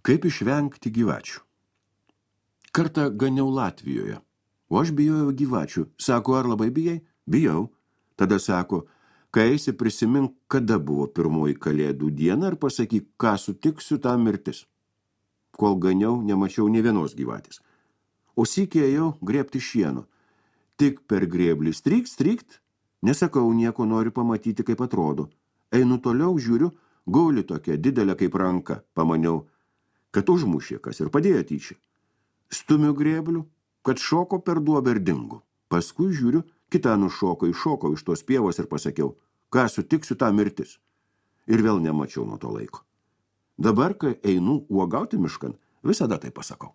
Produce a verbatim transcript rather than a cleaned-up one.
Kaip išvengti gyvačių? Kartą ganiau Latvijoje, o aš bijojau gyvačių. Sako, ar labai bijai? Bijau. Tada sako, kai eisi prisimink, kada buvo pirmoji kalėdų diena ir pasakyk, ką sutiksiu, tą mirtis. Kol ganiau, nemačiau nė vienos gyvatės. O sykį ėjau grėbti šieno. Tik per grėblį strykt, strykt, nesakau, nieko noriu pamatyti, kaip atrodo. Einu toliau, žiūriu, gauli tokia didelė kaip ranka, pamaniau, kad užmušė kas ir padėjo tyčia. Stumiu grėblių, kad šoko per duobę ir dingo. Paskui žiūriu, kita nušoko, iššoko iš tos pievos ir pasakiau, ką sutiksiu, tą mirtis. Ir vėl nemačiau nuo to laiko. Dabar, kai einu uogauti miškan, visada tai pasakau.